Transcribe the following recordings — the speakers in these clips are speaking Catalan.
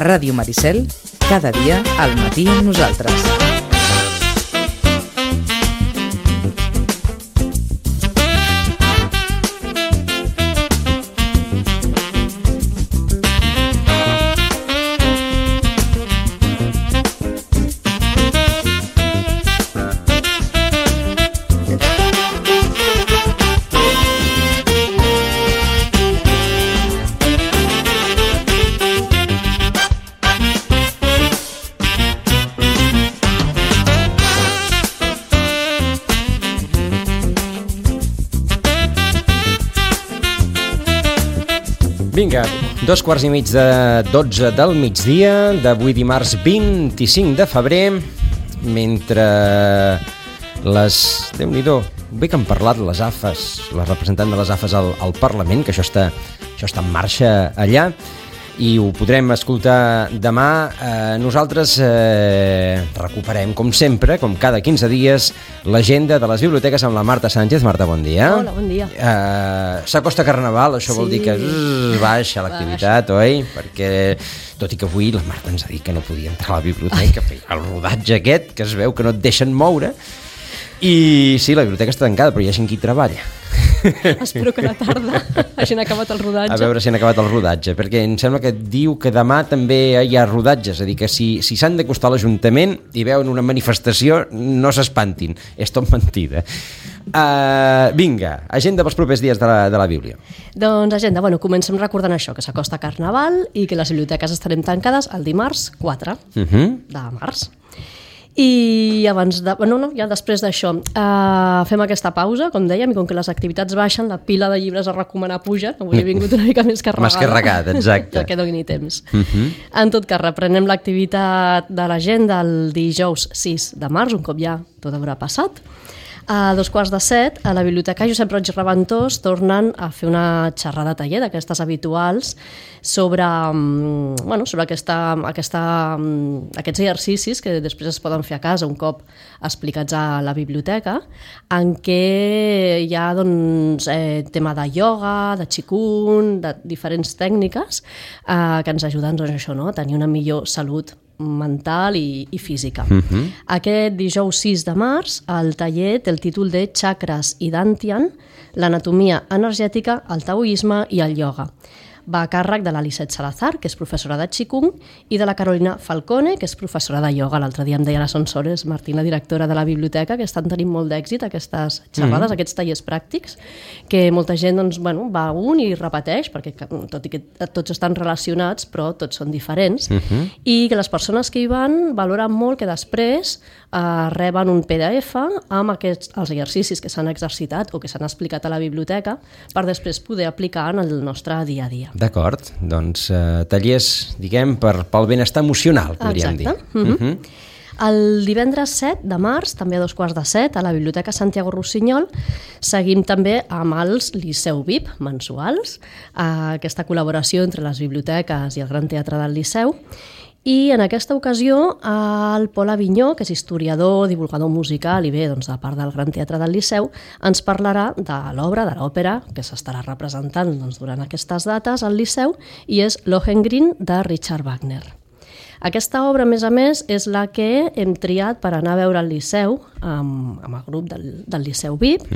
Ràdio Maricel, cada dia al matí amb nosaltres. Vinga, 2:15 del migdia d'avui dimarts 25 de febrer, mentre les... Déu-n'hi-do, bé que han parlat les AFES, la representant de les AFES al Parlament, que això està en marxa allà, i ho podrem escoltar demà. Nosaltres recuperem, com sempre, com cada 15 dies, l'agenda de les biblioteques amb la Marta Sánchez. Marta, bon dia. Hola, bon dia. S'acosta Carnaval, això vol dir que baixa l'activitat, oi? Perquè, tot i que avui la Marta ens ha dit que no podia entrar a la biblioteca, el rodatge aquest, que es veu que no et deixen moure, i sí, la biblioteca està tancada, però hi ha gent qui treballa. Espero que a la tarda hagin acabat el rodatge. A veure si han acabat el rodatge, perquè em sembla que diu que demà també hi ha rodatge, és a dir, que si s'han d'acostar a l'Ajuntament i veuen una manifestació, no s'espantin, és tot mentida. Vinga, agenda pels propers dies de la Bíblia. Doncs agenda, comencem recordant això, que s'acosta Carnaval i que les biblioteques estarem tancades el dimarts 4 de març. I abans ja després d'això fem aquesta pausa, com dèiem, i com que les activitats baixen, la pila de llibres a recomanar puja. Avui he vingut una mica més carregada. Més carregada, exacte. Ja que doni temps. En tot cas, reprenem l'activitat de l'agenda el dijous 6 de març, un cop ja tot haurà passat. A 6:45, a la Biblioteca Josep Roig i Reventós tornen a fer una xerrada taller d'aquestes habituals sobre aquests exercicis que després es poden fer a casa un cop explicats a la biblioteca, en què hi ha tema de ioga, de qigong, de diferents tècniques que ens ajuden a tenir una millor salut mental i física. Aquest dijous 6 de març el taller té el títol de Chakras i Dantian, l'anatomia energètica, el taoisme i el ioga. Va a càrrec de l'Alicet Salazar, que és professora de qigong, i de la Carolina Falcone, que és professora de ioga. L'altre dia em deia la Sonsores Martín, la directora de la biblioteca, que estan tenint molt d'èxit aquestes xerrades, aquests tallers pràctics, que molta gent va a un i repeteix, perquè tot i que tots estan relacionats, però tots són diferents, i que les persones que hi van valoren molt que després reben un PDF amb els exercicis que s'han exercitat o que s'han explicat a la biblioteca per després poder aplicar en el nostre dia a dia. D'acord, doncs tallers, diguem, pel benestar emocional, podríem dir. El divendres 7 de març, també a 6:45, a la Biblioteca Santiago Rossinyol, seguim també amb els Liceu VIP mensuals, aquesta col·laboració entre les biblioteques i el Gran Teatre del Liceu. I en aquesta ocasió el Pol Avinyó, que és historiador, divulgador musical i bé, de part del Gran Teatre del Liceu, ens parlarà de l'obra, de l'òpera, que s'estarà representant durant aquestes dates al Liceu, i és Lohengrin de Richard Wagner. Aquesta obra, a més, és la que hem triat per anar a veure al Liceu, amb el grup del Liceu VIP,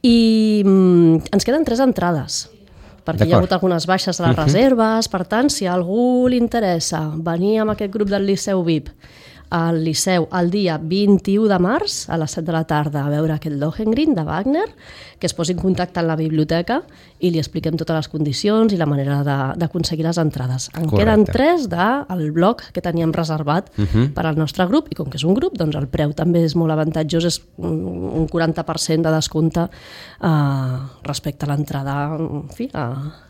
i ens queden 3 entrades, perquè hi ha hagut algunes baixes a les reserves. Per tant, si a algú li interessa venir amb aquest grup del Liceu VIP al Liceu el dia 21 de març a les 7 de la tarda a veure aquest Lohengrin de Wagner, que es posi en contacte amb la biblioteca i li expliquem totes les condicions i la manera d'aconseguir les entrades. En queden 3 del bloc que teníem reservat per al nostre grup, i com que és un grup, doncs el preu també és molt avantatjós, és un 40% de descompte respecte a l'entrada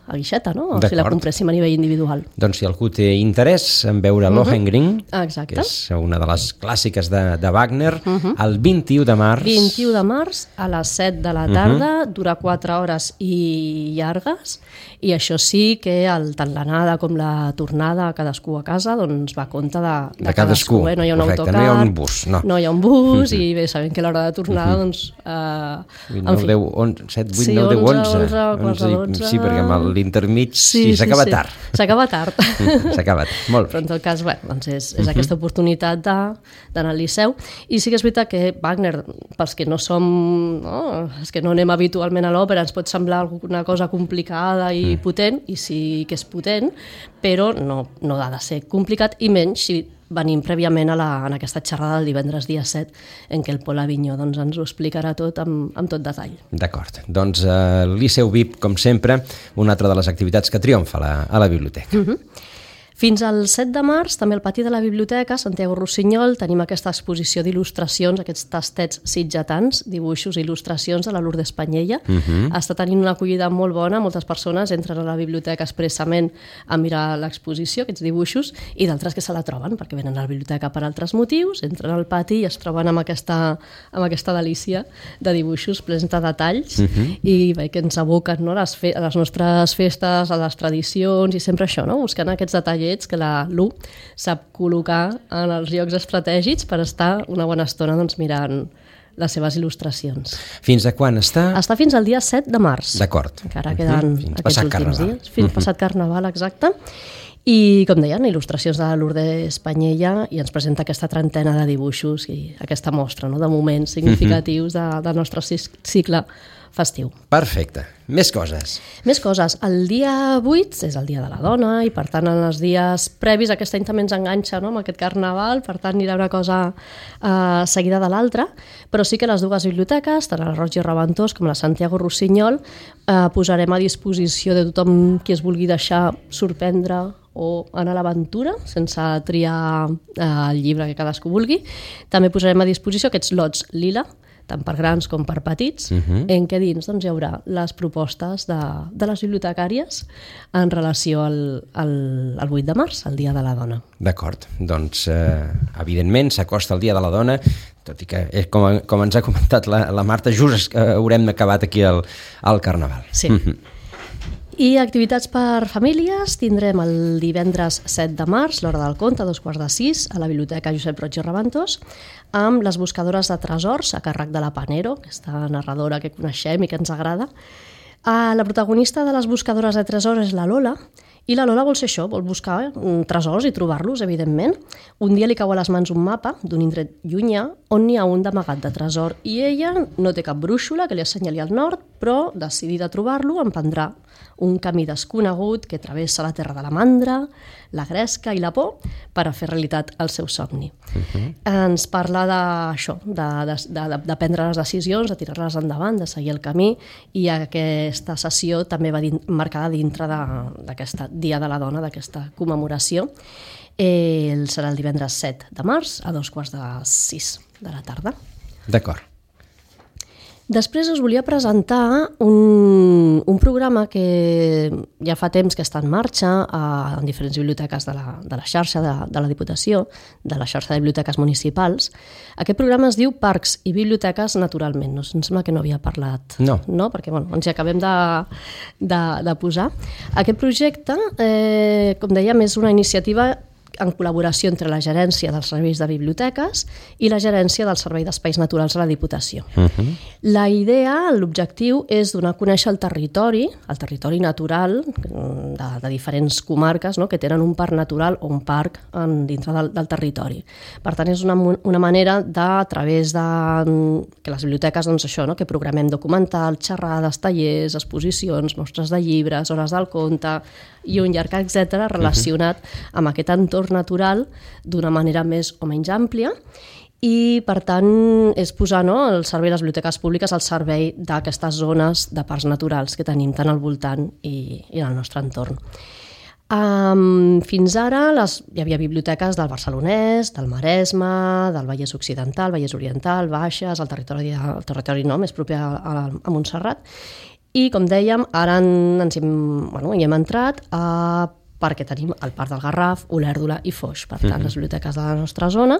a guixeta, no? Si la compréssim a nivell individual. Doncs si algú té interès en veure Lohengrin, que és una una de les clàssiques de Wagner, el 21 de març. 21 de març a les 7 de la tarda, dura 4 hores i llargues, i això sí que tant l'anada com la tornada, cadascú a casa, doncs va a compte de cadascú. No hi ha un autocar, no hi ha un bus. No hi ha un bus, i bé, sabem que a l'hora de tornada, doncs... 9, 10, 11, 7, 8, 9, 10, 11. Sí, perquè amb l'intermig s'acaba tard. S'acaba tard. S'acaba tard, molt bé. Però en tot cas, bé, doncs és aquesta oportunitat d'anar al Liceu. I sí que és veritat que Wagner, pels que no som... els que no anem habitualment a l'òpera, ens pot semblar una cosa complicada i potent, i sí que és potent, però no ha de ser complicat, i menys si venim prèviament en aquesta xerrada del divendres dia 7, en què el Pol Avinyó ens ho explicarà tot amb tot detall. D'acord. Doncs el Liceu VIP, com sempre, una altra de les activitats que triomfa a la biblioteca. Fins al 7 de març, també al pati de la biblioteca, Santiago Rossinyol, tenim aquesta exposició d'il·lustracions, aquests tastets sitgetans, dibuixos i il·lustracions de la Lourdes Panyella. Està tenint una acollida molt bona, moltes persones entren a la biblioteca expressament a mirar l'exposició, aquests dibuixos, i d'altres que se la troben, perquè venen a la biblioteca per altres motius, entren al pati i es troben amb aquesta delícia de dibuixos plens de detalls, i bé, que ens aboquen a les nostres festes, a les tradicions, i sempre això, buscant aquests detallets que la Lu sap col·locar en els llocs estratègics per estar una bona estona mirant les seves il·lustracions. Fins a quan està? Està fins al dia 7 de març. D'acord. Encara queden aquests últims dies. Fins passat Carnaval, exacte. I, com deien, il·lustracions de la Lourdes Panyella, i ens presenta aquesta trentena de dibuixos i aquesta mostra de moments significatius del nostre cicle festiu. Perfecte. Més coses. Més coses. El dia 8 és el dia de la dona, i per tant en els dies previs, aquest any també ens enganxa amb aquest Carnaval, per tant anirà una cosa seguida de l'altra, però sí que les dues biblioteques, tant la Roig i Reventós com la Santiago Rossinyol, posarem a disposició de tothom qui es vulgui deixar sorprendre o anar a l'aventura, sense triar el llibre que cadascú vulgui. També posarem a disposició aquests lots lila, tant per grans com per petits, en què dins hi haurà les propostes de les bibliotecàries en relació al 8 de març, el Dia de la Dona. D'acord, doncs evidentment s'acosta el Dia de la Dona, tot i que com ens ha comentat la Marta, just haurem acabat aquí el Carnaval. Sí. I activitats per famílies tindrem el divendres 7 de març, l'hora del conte, a 5:45, a la Biblioteca Josep Roig i Reventós, amb les buscadores de tresors a càrrec de la Panero, aquesta narradora que coneixem i que ens agrada. La protagonista de les buscadores de tresors és la Lola, i la Lola vol ser això, vol buscar tresors i trobar-los, evidentment. Un dia li cau a les mans un mapa d'un indret llunyà on n'hi ha un d'amagat de tresor, i ella no té cap brúixola que li assenyali al nord, però, decidida a trobar-lo, emprendrà un camí desconegut que travessa la terra de la mandra, la gresca i la por per a fer realitat el seu somni. Ens parla d'això, de prendre les decisions, de tirar-les endavant, de seguir el camí, i aquesta sessió també va marcada dintre d'aquest Dia de la Dona, d'aquesta commemoració. Serà el divendres 7 de març a 5:45 de la tarda. D'acord. Després us volia presentar un programa que ja fa temps que està en marxa en diferents biblioteques de la xarxa de la Diputació, de la xarxa de biblioteques municipals. Aquest programa es diu Parcs i Biblioteques Naturalment. Em sembla que no havia parlat. No. Perquè ens hi acabem de posar. Aquest projecte, com dèiem, és una iniciativa en col·laboració entre la Gerència dels Serveis de Biblioteques i la Gerència del Servei d'Espais Naturals de la Diputació. La idea, l'objectiu, és donar a conèixer el territori natural de diferents comarques que tenen un parc natural o un parc dintre del territori. Per tant, és una manera a través de que les biblioteques, que programem documentals, xerrades, tallers, exposicions, mostres de llibres, hores del conte i un llarg etcètera relacionat amb aquest entorn natural d'una manera més o menys àmplia, i per tant és posar el servei de les biblioteques públiques al servei d'aquestes zones de parcs naturals que tenim tant al voltant i en el nostre entorn. Fins ara hi havia biblioteques del Barcelonès, del Maresme, del Vallès Occidental, Vallès Oriental, Baixes, el territori més proper a Montserrat, i com dèiem, ara hi hem entrat a perquè tenim el Parc del Garraf, Olèrdola i Foix. Per tant, les biblioteques de la nostra zona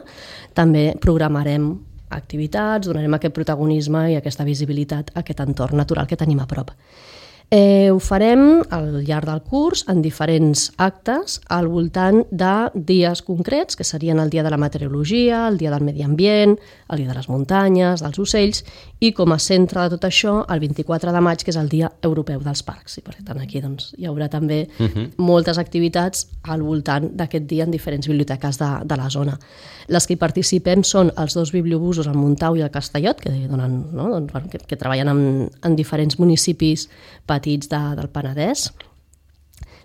també programarem activitats, donarem aquest protagonisme i aquesta visibilitat a aquest entorn natural que tenim a prop. Ho farem al llarg del curs en diferents actes al voltant de dies concrets, que serien el dia de la meteorologia, el dia del medi ambient, el dia de les muntanyes, dels ocells, i com a centre de tot això, el 24 de maig, que és el Dia Europeu dels Parcs. I per tant aquí hi haurà també moltes activitats al voltant d'aquest dia en diferents biblioteques de la zona. Les que hi participem són els 2 bibliobusos, el Montau i el Castellot, que treballen en diferents municipis petits del Penedès,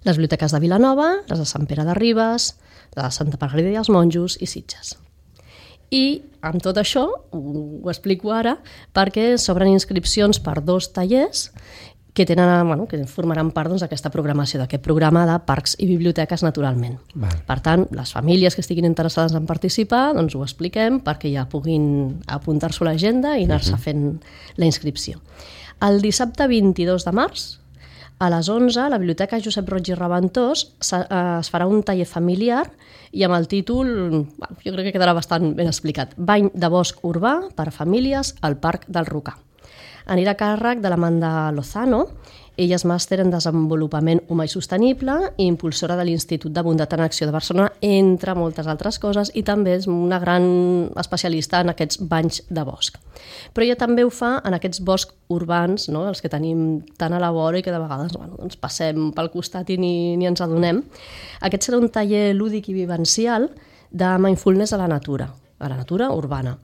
les biblioteques de Vilanova, les de Sant Pere de Ribes, la de Santa Margarida i els Monjos i Sitges. I amb tot això ho explico ara perquè s'obren inscripcions per 2 tallers que formaran part d'aquesta programació, d'aquest programa de parcs i biblioteques naturalment. Per tant, les famílies que estiguin interessades en participar, ho expliquem perquè ja puguin apuntar-s'ho a l'agenda i anar-se fent la inscripció. El dissabte 22 de març, a les 11, a la Biblioteca Josep Roig i Reventós es farà un taller familiar i amb el títol, jo crec que quedarà bastant ben explicat, Bany de bosc urbà per a famílies al Parc del Rocà. Anirà a càrrec de l'Amanda Lozano. Ella és màster en desenvolupament humà i sostenible i impulsora de l'Institut de Bondat en Acció de Barcelona, entre moltes altres coses, i també és una gran especialista en aquests banys de bosc. Però ella també ho fa en aquests boscs urbans, els que tenim tan a la vora i que de vegades passem pel costat i ni ens adonem. Aquest serà un taller lúdic i vivencial de mindfulness a la natura urbana.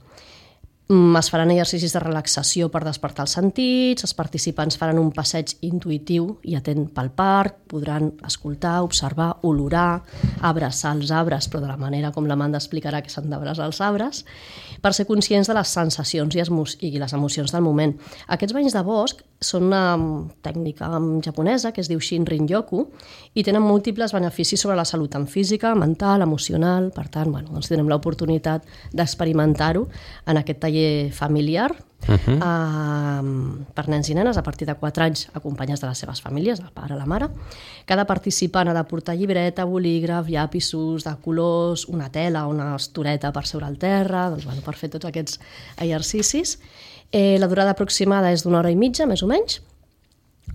Es faran exercicis de relaxació per despertar els sentits, els participants faran un passeig intuïtiu i atent pel parc, podran escoltar, observar, olorar, abraçar els arbres, però de la manera com l'Amanda explicarà que s'han d'abraçar els arbres, per ser conscients de les sensacions i les emocions del moment. Aquests banys de bosc són una tècnica japonesa que es diu Shinrin-yoku i tenen múltiples beneficis sobre la salut en física, mental, emocional. Per tant, tindrem l'oportunitat d'experimentar-ho en aquest taller familiar per nens i nenes a partir de 4 anys acompanyats de les seves famílies, el pare, la mare. Cada participant ha de portar llibreta, bolígraf, llapisos de colors, una tela, una estoreta per seure al terra, per fer tots aquests exercicis. La durada aproximada és d'1 hora i mitja, més o menys.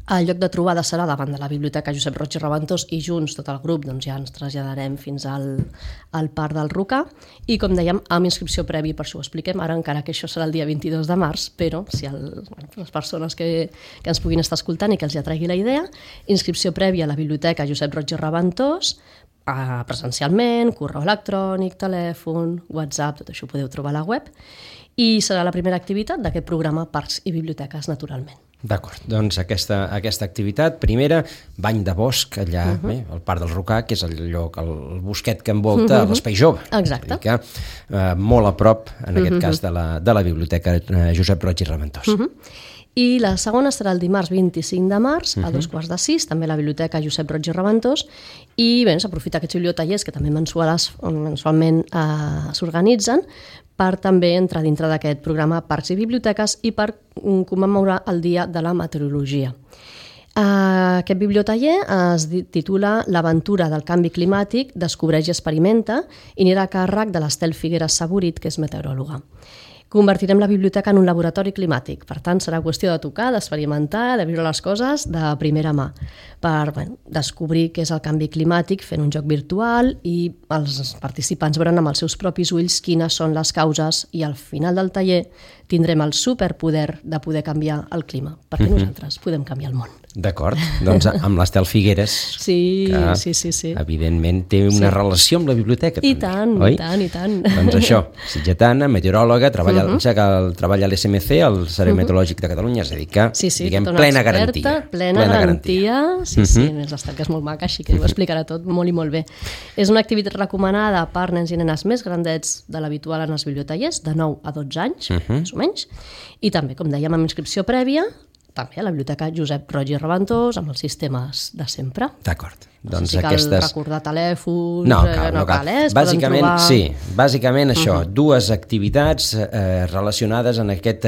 El lloc de trobada serà davant de la Biblioteca Josep Roig i Reventós i junts, tot el grup, ja ens traslladarem fins al Parc del Rocà i, com dèiem, amb inscripció prèvia, per això ho expliquem ara, encara que això serà el dia 22 de març, però si les persones que ens puguin estar escoltant i que els atraigui la idea, inscripció prèvia a la Biblioteca Josep Roig i Reventós, presencialment, correu electrònic, telèfon, WhatsApp, tot això ho podeu trobar a la web, i serà la primera activitat d'aquest programa Parcs i Biblioteques Naturalment. D'acord, doncs aquesta activitat, primera, bany de bosc allà al Parc del Rocà, que és el lloc, el bosquet que envolta l'Espai Jove. Exacte. És a dir que molt a prop, en aquest cas, de la Biblioteca Josep Roig i Reventós. I la segona serà el dimarts 25 de març, a 5:45, també a la Biblioteca Josep Roig i Reventós, i s'aprofita aquests bibliotallers que també mensualment s'organitzen per també entrar dintre d'aquest programa Parcs i Biblioteques i per commemorar el Dia de la Meteorologia. Aquest bibliotaller es titula L'aventura del canvi climàtic, descobreix i experimenta, i anirà a càrrec de l'Estel Figueres Saborit, que és meteoròloga. Convertirem la biblioteca en un laboratori climàtic, per tant serà qüestió de tocar, d'experimentar, de viure les coses de primera mà, per descobrir què és el canvi climàtic fent un joc virtual i els participants veuran amb els seus propis ulls quines són les causes i al final del taller tindrem el superpoder de poder canviar el clima, perquè nosaltres podem canviar el món. D'acord, doncs amb l'Estel Figueres, sí. Evidentment té una relació amb la biblioteca. I tant, oi? I tant. Doncs això, sitgetana, meteoròloga, treballa a l'SMC, al Servei Meteorològic de Catalunya, és a dir que, diguem, plena garantia. Plena garantia, sí, és l'Estel, que és molt maca, així que ho explicarà tot molt i molt bé. És una activitat recomanada per nens i nenes més grandets de l'habitual en els bibliotallers, de 9 a 12 anys, més o menys, i també, com dèiem, amb inscripció prèvia, també a la Biblioteca Josep Roig i Reventós, amb els sistemes de sempre. D'acord. No sé si cal recordar telèfons... No cal. Bàsicament això, dues activitats relacionades en aquest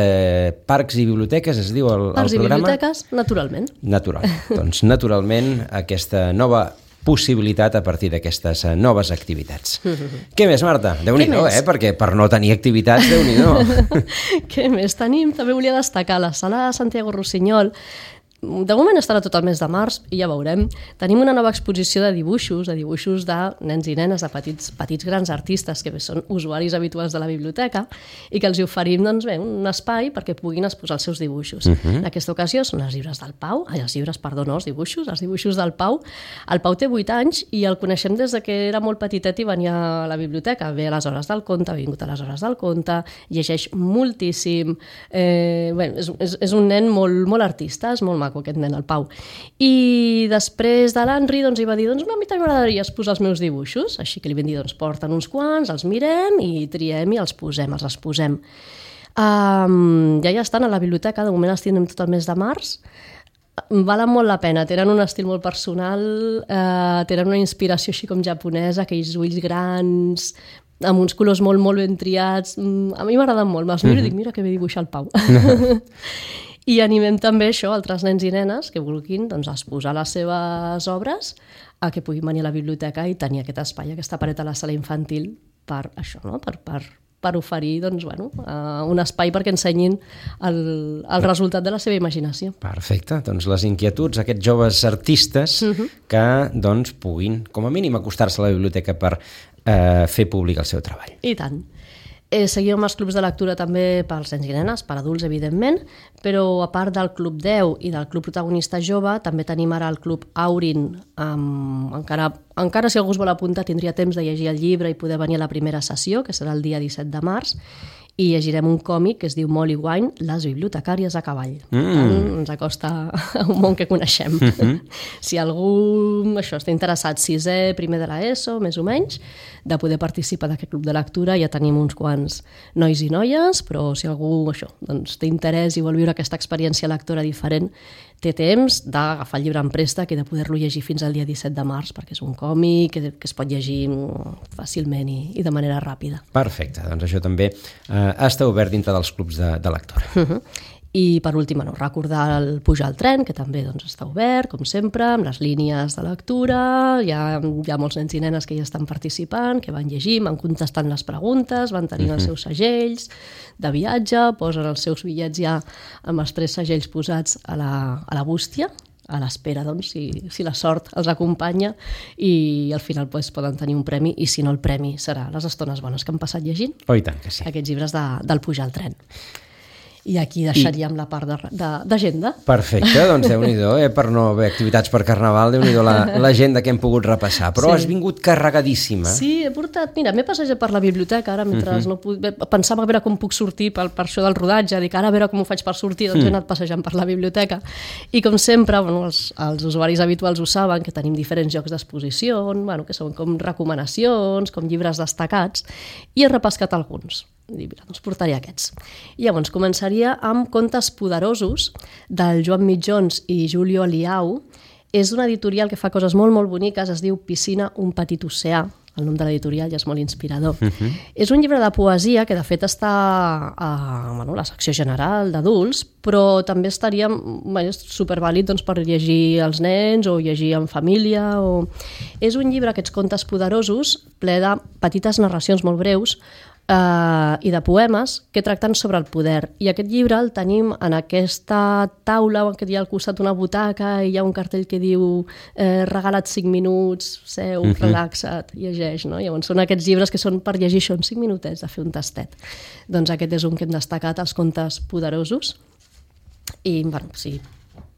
Parcs i Biblioteques, es diu el programa? Parcs i Biblioteques, naturalment. Natural. Doncs naturalment aquesta nova possibilitat a partir d'aquestes noves activitats. Què més, Marta? Déu-n'hi-do, perquè per no tenir activitats, Déu-n'hi-do. Què més tenim? També volia destacar la sala de Santiago Rossinyol. De moment estarà tot el mes de març i ja veurem. Tenim una nova exposició de dibuixos de nens i nenes, de petits grans artistes que són usuaris habituals de la biblioteca i que els oferim un espai perquè puguin exposar els seus dibuixos. En aquesta ocasió són els dibuixos del Pau. El Pau té 8 anys i el coneixem des de que era molt petitet i venia a la biblioteca. Ve a les hores del conte, ha vingut a les hores del conte, llegeix moltíssim. És un nen molt artista, és molt maco aquest nen, el Pau. I després de l'Henri hi va dir, a mi també m'agradaria exposar els meus dibuixos, així que li vam dir, porten uns quants, els mirem i triem i els exposem. Ja estan a la biblioteca, de moment els tindrem tot el mes de març. Valen molt la pena, tenen un estil molt personal, tenen una inspiració així com japonesa, aquells ulls grans, amb uns colors molt ben triats. A mi m'agraden molt, me'ls miro i dic, mira que bé dibuixar el Pau. I animem també altres nens i nenes que vulguin exposar les seves obres a que puguin venir a la biblioteca i tenir aquest espai, aquesta paret a la sala infantil per això, no? Per oferir un espai perquè ensenyin el resultat de la seva imaginació. Perfecte, les inquietuds, aquests joves artistes que puguin, com a mínim, acostar-se a la biblioteca per fer públic el seu treball. I tant. Seguim amb els clubs de lectura també pels nens i nenes, per adults, evidentment, però a part del Club 10 i del Club Protagonista Jove, també tenim ara el Club Aurin. Encara si algú es vol apuntar, tindria temps de llegir el llibre i poder venir a la primera sessió, que serà el dia 17 de març, i llegirem un còmic que es diu Molly Wine, les bibliotecàries a cavall. Ens acosta a un món que coneixem. Si algú està interessat, 6è, primer de l'ESO, més o menys, de poder participar d'aquest club de lectura, ja tenim uns quants nois i noies, però si algú té interès i vol viure aquesta experiència lectora diferent, té temps d'agafar el llibre en préstec i de poder-lo llegir fins al dia 17 de març, perquè és un còmic que es pot llegir fàcilment i de manera ràpida. Perfecte, això també està obert dintre dels clubs de lectura. I per últim, recordar el Pujar al tren, que també està obert, com sempre, amb les línies de lectura. Hi ha molts nens i nenes que ja estan participant, que van llegint, van contestant les preguntes, van tenint els seus segells de viatge, posen els seus bitllets ja amb els 3 segells posats a la bústia, a l'espera, si la sort els acompanya, i al final poden tenir un premi, i si no, el premi serà les estones bones que han passat llegint. Oh, i tant que sí. Aquests llibres del Pujar al tren. I aquí deixaríem la part d'agenda. Perfecte, Déu-n'hi-do, per no haver activitats per Carnaval, Déu-n'hi-do l'agenda que hem pogut repassar, però has vingut carregadíssima. Sí, he portat, m'he passejat per la biblioteca ara, mentre pensava a veure com puc sortir per això del rodatge, dic ara a veure com ho faig per sortir, he anat passejant per la biblioteca, i com sempre, els usuaris habituals ho saben, que tenim diferents llocs d'exposició, que són com recomanacions, com llibres destacats, i he repescat alguns. Portaré aquests. I llavors començaria amb Contes poderosos del Joan Mitjons i Julio Liau. És una editorial que fa coses molt boniques, es diu Piscina, un petit oceà. El nom de l'editorial ja és molt inspirador. És un llibre de poesia que de fet està a la secció general d'adults, però també estaria supervàlid per llegir als nens o llegir en família. És un llibre, aquests Contes poderosos, ple de petites narracions molt breus i de poemes que tracten sobre el poder. I aquest llibre el tenim en aquesta taula on hi ha al costat una butaca i hi ha un cartell que diu regala't 5 minuts, seu, relaxa't, llegeix. Llavors són aquests llibres que són per llegir això en 5 minutets, de fer un tastet. Doncs aquest és un que hem destacat, els Contes poderosos. I, sí,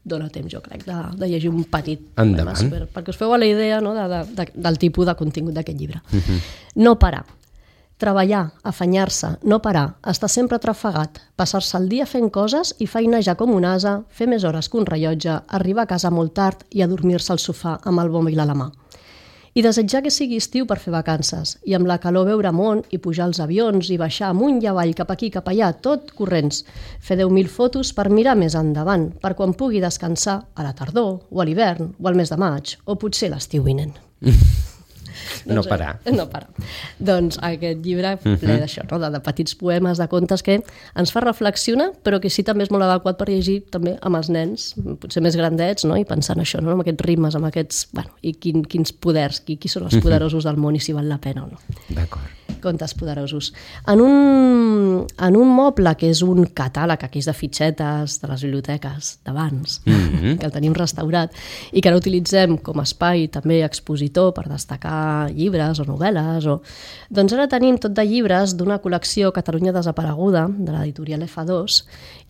dona temps, jo crec, de llegir un petit poema, perquè us feu a la idea del tipus de contingut d'aquest llibre. No parar. Treballar, afanyar-se, no parar, estar sempre trafegat, passar-se el dia fent coses i feinejar com un ase, fer més hores que un rellotge, arribar a casa molt tard i adormir-se al sofà amb el mòbil a la mà. I desitjar que sigui estiu per fer vacances, i amb la calor veure món i pujar als avions i baixar amunt i avall, cap aquí, cap allà, tot corrents. Fer 10.000 fotos per mirar més endavant, per quan pugui descansar a la tardor, o a l'hivern, o al mes de maig, o potser l'estiu vinent. No parar. No parar. Doncs aquest llibre ple d'això, no? de petits poemes, de contes que ens fa reflexionar, però que sí també és molt adequat per llegir també amb els nens, potser més grandets, no? I pensant això, no? Amb aquests ritmes, amb aquests... Bueno, i quins poders, qui són els poderosos del món i si val la pena o no. D'acord. Contes poderosos. En un moble que és un catàleg, aquí és de fitxetes de les biblioteques d'abans, que el tenim restaurat i que ara utilitzem com a espai també expositor per destacar llibres o novel·les. Doncs ara tenim tot de llibres d'una col·lecció Catalunya Desapareguda, de l'editorial F2,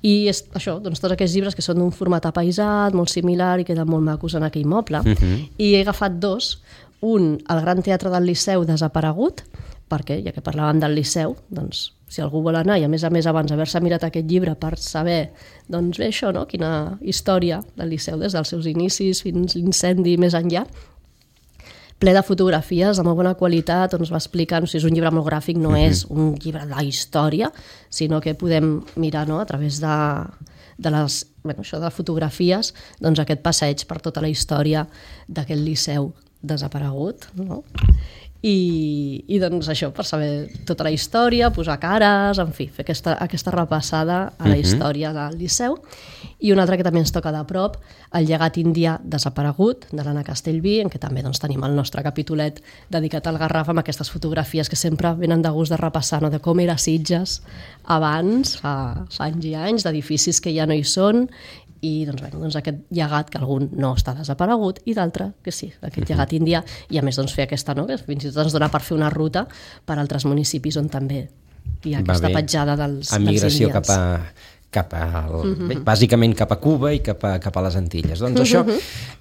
i és això, doncs tots aquests llibres que són d'un format apaïsat, molt similar i queden molt macos en aquell moble. I he agafat dos, un, el Gran Teatre del Liceu desaparegut, perquè, ja que parlàvem del Liceu, doncs, si algú vol anar, i a més abans haver-se mirat aquest llibre per saber, doncs bé, això, no? Quina història del Liceu des dels seus inicis fins l'incendi més enllà, ple de fotografies de molt bona qualitat, on es va explicant, o sigui, és un llibre molt gràfic, no és un llibre de la història, sinó que podem mirar, no?, a través de les fotografies, doncs aquest passeig per tota la història d'aquest Liceu desaparegut, no? I doncs això, per saber tota la història, posar cares, en fi, fer aquesta repassada a la història del Liceu. I una altra que també ens toca de prop, el llegat indià desaparegut, de l'Anna Castellví, en què també doncs, tenim el nostre capitolet dedicat al Garraf amb aquestes fotografies que sempre venen de gust de repassar, no? De com era Sitges abans, fa anys i anys, d'edificis que ja no hi són, i doncs aquest llegat que algun no està desaparegut i d'altre que sí, aquest llegat indià, i a més doncs, fer aquesta, no? Que fins i tot ens dona per fer una ruta per altres municipis on també hi ha aquesta petjada dels migració indians. Bàsicament cap a Cuba i cap a les Antilles. Doncs això,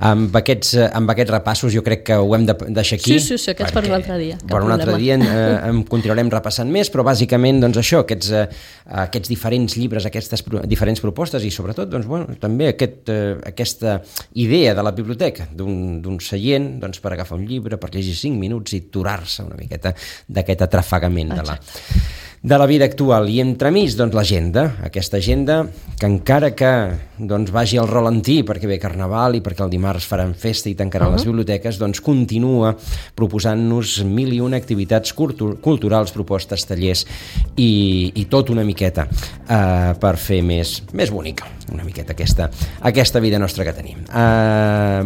amb aquests repassos jo crec que ho hem de deixar aquí. Sí, aquests per un altre dia. Per un altre dia en continuarem repassant més, però bàsicament doncs això, aquests diferents llibres, aquestes diferents propostes i sobretot doncs, bueno, també aquesta idea de la biblioteca, d'un seient doncs, per agafar un llibre, per llegir 5 minuts i aturar-se una miqueta d'aquest atrafegament de la vida actual. I entremig, doncs, l'agenda, aquesta agenda que encara que doncs, vagi al ralentí perquè ve Carnaval i perquè el dimarts faran festa i tancaran les biblioteques, doncs continua proposant-nos 1001 activitats culturals, propostes, tallers i tot una miqueta per fer més bonica una miqueta aquesta vida nostra que tenim.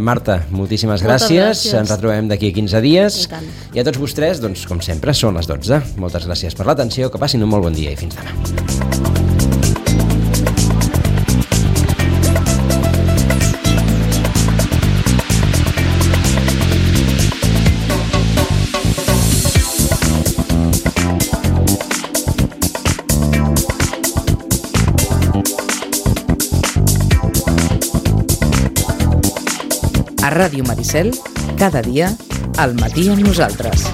Marta, moltíssimes gràcies. Ens retrobem d'aquí 15 dies. I a tots vostès, doncs, com sempre, són les 12. Moltes gràcies per l'atenció, que passin un molt bon dia i fins demà. A Ràdio Maricel, cada dia, al matí amb nosaltres.